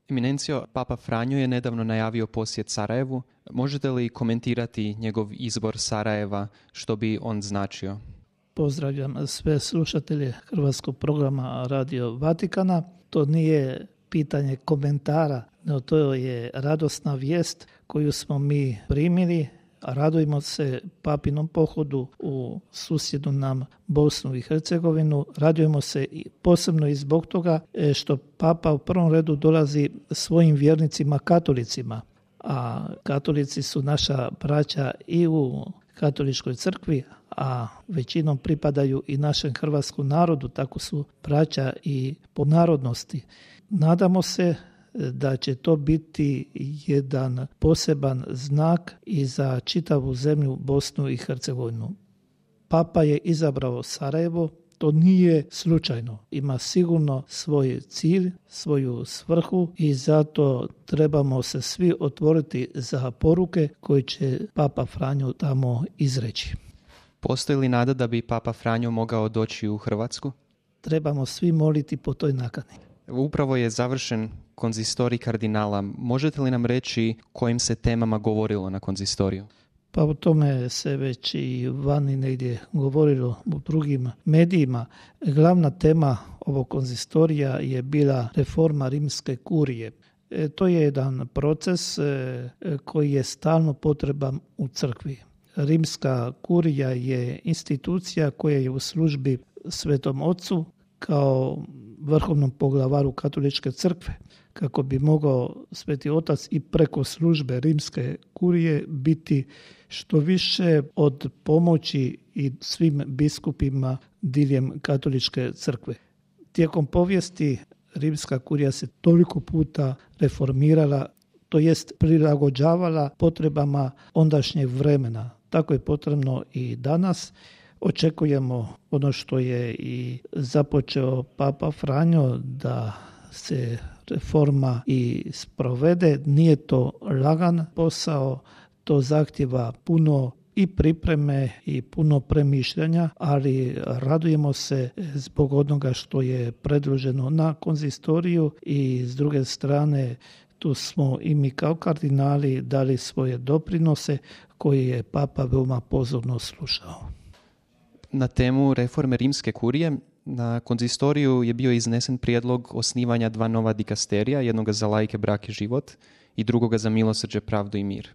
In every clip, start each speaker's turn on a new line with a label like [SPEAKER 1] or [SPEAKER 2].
[SPEAKER 1] Eminencijo, Papa Franjo je nedavno najavio posjet Sarajevu. Možete li komentirati njegov izbor Sarajeva, što bi on značio?
[SPEAKER 2] Pozdravljam sve slušatelje hrvatskog programa Radio Vatikana. To nije pitanje komentara, no to je radosna vijest koju smo mi primili. Radujemo se papinom pohodu u susjednu nam Bosnu i Hercegovinu. Radujemo se posebno i zbog toga što Papa u prvom redu dolazi svojim vjernicima katolicima, a katolici su naša braća i u katoličkoj crkvi, a većinom pripadaju i našem hrvatskom narodu, tako su braća i po narodnosti. Nadamo se da će to biti jedan poseban znak i za čitavu zemlju Bosnu i Hercegovinu. Papa je izabrao Sarajevo, to nije slučajno. Ima sigurno svoj cilj, svoju svrhu i zato trebamo se svi otvoriti za poruke koje će Papa Franjo tamo izreći.
[SPEAKER 1] Postoji li nada da bi Papa Franjo mogao doći u Hrvatsku?
[SPEAKER 2] Trebamo svi moliti po toj nakani.
[SPEAKER 1] Upravo je završen konzistorij kardinala. Možete li nam reći kojim se temama govorilo na konzistoriju?
[SPEAKER 2] Pa o tome se već i vani negdje govorilo u drugim medijima. Glavna tema ovog konzistorija je bila reforma rimske kurije. To je jedan proces koji je stalno potreban u crkvi. Rimska kurija je institucija koja je u službi Svetom Ocu kao vrhovnom poglavaru katoličke crkve, kako bi mogao Sveti Otac i preko službe rimske kurije biti što više od pomoći i svim biskupima diljem katoličke crkve. Tijekom povijesti rimska kurija se toliko puta reformirala, to jest prilagođavala potrebama ondašnjeg vremena. Tako je potrebno i danas. Očekujemo ono što je i započeo Papa Franjo, da se reforma i sprovede. Nije to lagan posao, to zahtjeva puno i pripreme i puno premišljanja, ali radujemo se zbog onoga što je predloženo na konzistoriju i s druge strane tu smo i mi kao kardinali dali svoje doprinose koje je Papa veoma pozorno slušao.
[SPEAKER 1] Na temu reforme rimske kurije na konzistoriju je bio iznesen prijedlog osnivanja 2 nova dikasterija, jednoga za laike, brak i život i drugoga za milosrđe, pravdu i mir.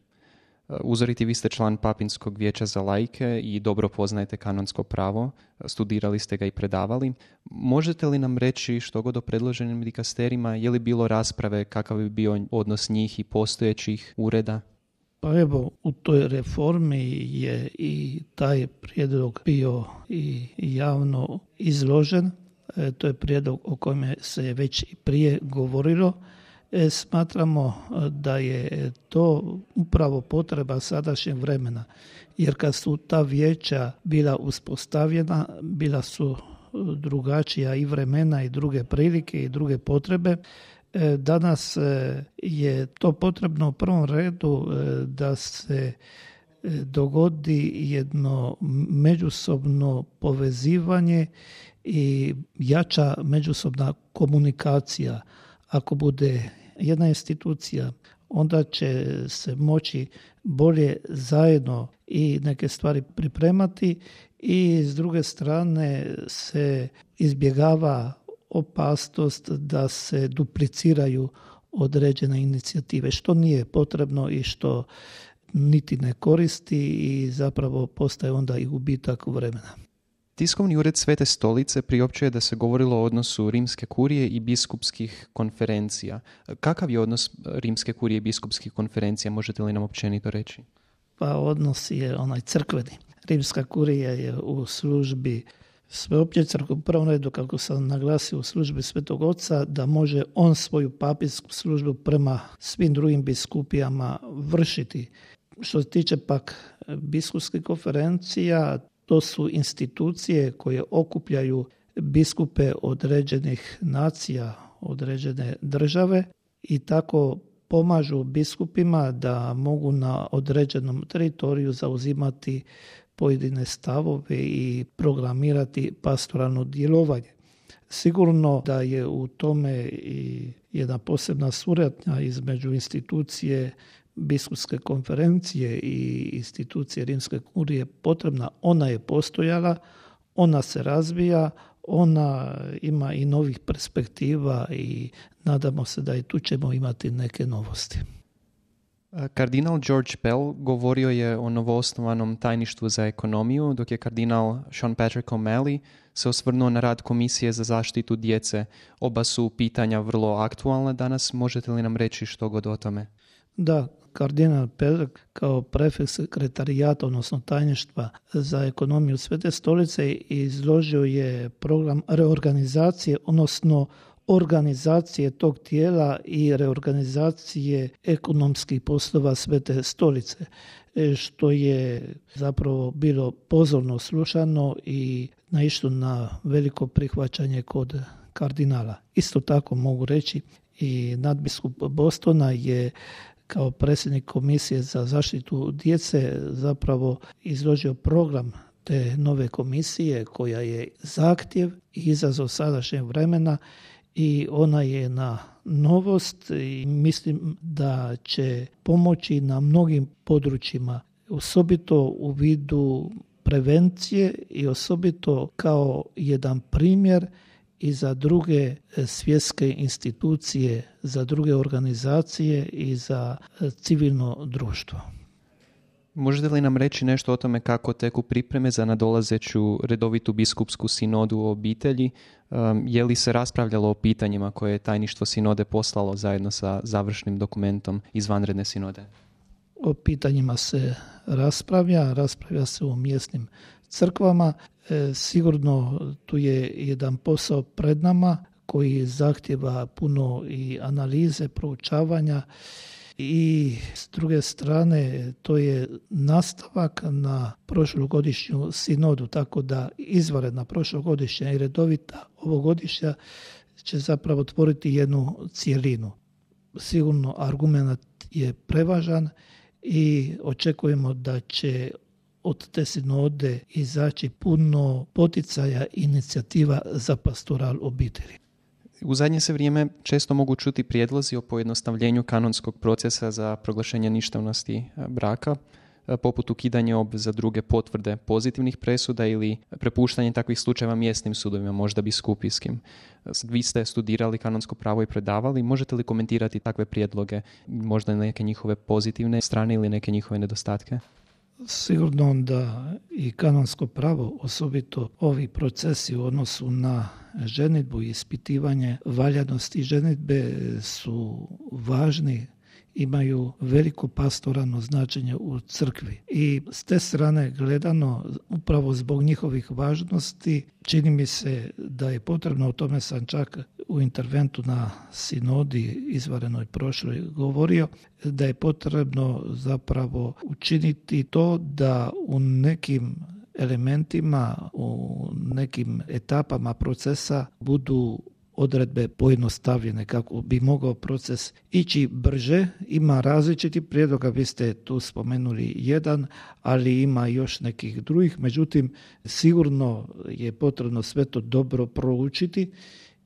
[SPEAKER 1] Uzoriti, vi ste član Papinskog vijeća za laike i dobro poznajete kanonsko pravo, studirali ste ga i predavali. Možete li nam reći što god o predloženim dikasterijima, je li bilo rasprave, kakav bi bio odnos njih i postojećih ureda?
[SPEAKER 2] Pa evo, u toj reformi je i taj prijedlog bio i javno izložen. To je prijedlog o kojem se već i prije govorilo. Smatramo da je to upravo potreba sadašnjeg vremena, jer kad su ta vijeća bila uspostavljena, bila su drugačija i vremena i druge prilike i druge potrebe. Danas je to potrebno u prvom redu da se dogodi jedno međusobno povezivanje i jača međusobna komunikacija. Ako bude jedna institucija, onda će se moći bolje zajedno i neke stvari pripremati i s druge strane se izbjegava opasnost da se dupliciraju određene inicijative, što nije potrebno i što niti ne koristi i zapravo postaje onda i gubitak vremena.
[SPEAKER 1] Tiskovni ured Svete stolice priopćuje da se govorilo o odnosu rimske kurije i biskupskih konferencija. Kakav je odnos rimske kurije i biskupskih konferencija, možete li nam općenito reći?
[SPEAKER 2] Pa odnos je onaj crkveni. Rimska kurija je u službi sveopće crkve, u prvom redu, kako sam naglasio, u službi Svetog Oca, da može on svoju papinsku službu prema svim drugim biskupijama vršiti. Što se tiče pak biskupskih konferencija, to su institucije koje okupljaju biskupe određenih nacija, određene države i tako pomažu biskupima da mogu na određenom teritoriju zauzimati pojedine stavove i programirati pastoralno djelovanje. Sigurno da je u tome i jedna posebna suradnja između institucije biskupske konferencije i institucije Rimske kurije potrebna. Ona je postojala, ona se razvija, ona ima i novih perspektiva i nadamo se da i tu ćemo imati neke novosti.
[SPEAKER 1] Kardinal George Pell govorio je o novoosnovanom tajništvu za ekonomiju, dok je kardinal Sean Patrick O'Malley se osvrnuo na rad Komisije za zaštitu djece. Oba su pitanja vrlo aktualna danas. Možete li nam reći što god o tome?
[SPEAKER 2] Da, kardinal Pell kao prefekt sekretarijata, odnosno tajništva za ekonomiju Svete stolice, izložio je program reorganizacije, odnosno organizacije tog tijela i reorganizacije ekonomskih poslova Svete stolice, što je zapravo bilo pozorno slušano i naišlo na veliko prihvaćanje kod kardinala. Isto tako mogu reći i nadbiskup Bostona je kao predsjednik Komisije za zaštitu djece zapravo izložio program te nove komisije koja je zahtjev i izazov sadašnjeg vremena i ona je na novost i mislim da će pomoći na mnogim područjima, osobito u vidu prevencije i osobito kao jedan primjer i za druge svjetske institucije, za druge organizacije i za civilno društvo.
[SPEAKER 1] Možete li nam reći nešto o tome kako teku pripreme za nadolazeću redovitu biskupsku sinodu o obitelji? Je li se raspravljalo o pitanjima koje je tajništvo sinode poslalo zajedno sa završnim dokumentom izvanredne sinode?
[SPEAKER 2] O pitanjima se raspravlja se u mjesnim crkvama. Sigurno tu je jedan posao pred nama koji zahtjeva puno i analize, proučavanja i s druge strane to je nastavak na prošlogodišnju sinodu, tako da izvanredna prošlogodišnja i redovita ovogodišnja će zapravo tvoriti jednu cjelinu. Sigurno argument je prevažan i očekujemo da će od te sinode izaći puno poticaja i inicijativa za pastoral obitelji.
[SPEAKER 1] U zadnje se vrijeme često mogu čuti prijedlozi o pojednostavljenju kanonskog procesa za proglašenje ništavnosti braka, poput ukidanja obveza druge potvrde pozitivnih presuda ili prepuštanje takvih slučajeva mjesnim sudovima, možda biskupijskim. Vi ste studirali kanonsko pravo i predavali. Možete li komentirati takve prijedloge, možda neke njihove pozitivne strane ili neke njihove nedostatke?
[SPEAKER 2] Sigurno da i kanonsko pravo, osobito ovi procesi u odnosu na ženidbu i ispitivanje valjanosti ženidbe su važni, imaju veliko pastoralno značenje u crkvi. I s te strane gledano, upravo zbog njihovih važnosti, čini mi se da je potrebno, o tome sam čak u interventu na sinodi izvanrednoj prošloj govorio, da je potrebno zapravo učiniti to da u nekim elementima, u nekim etapama procesa budu odredbe pojednostavljene kako bi mogao proces ići brže. Ima različitih prijedloga, vi ste tu spomenuli jedan, ali ima još nekih drugih. Međutim, sigurno je potrebno sve to dobro proučiti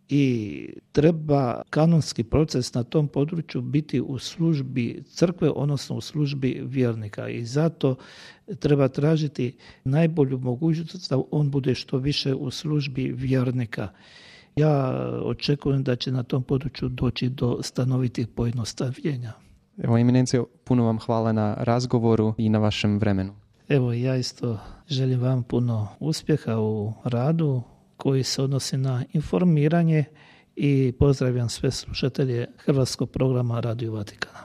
[SPEAKER 2] i treba kanonski proces na tom području biti u službi crkve, odnosno u službi vjernika i zato treba tražiti najbolju mogućnost da on bude što više u službi vjernika. Ja očekujem da će na tom području doći do stanovitih pojednostavljenja.
[SPEAKER 1] Evo, Eminencijo, puno vam hvala na razgovoru i na vašem vremenu.
[SPEAKER 2] Evo, ja isto želim vam puno uspjeha u radu koji se odnosi na informiranje i pozdravljam sve slušatelje Hrvatskog programa Radio Vatikana.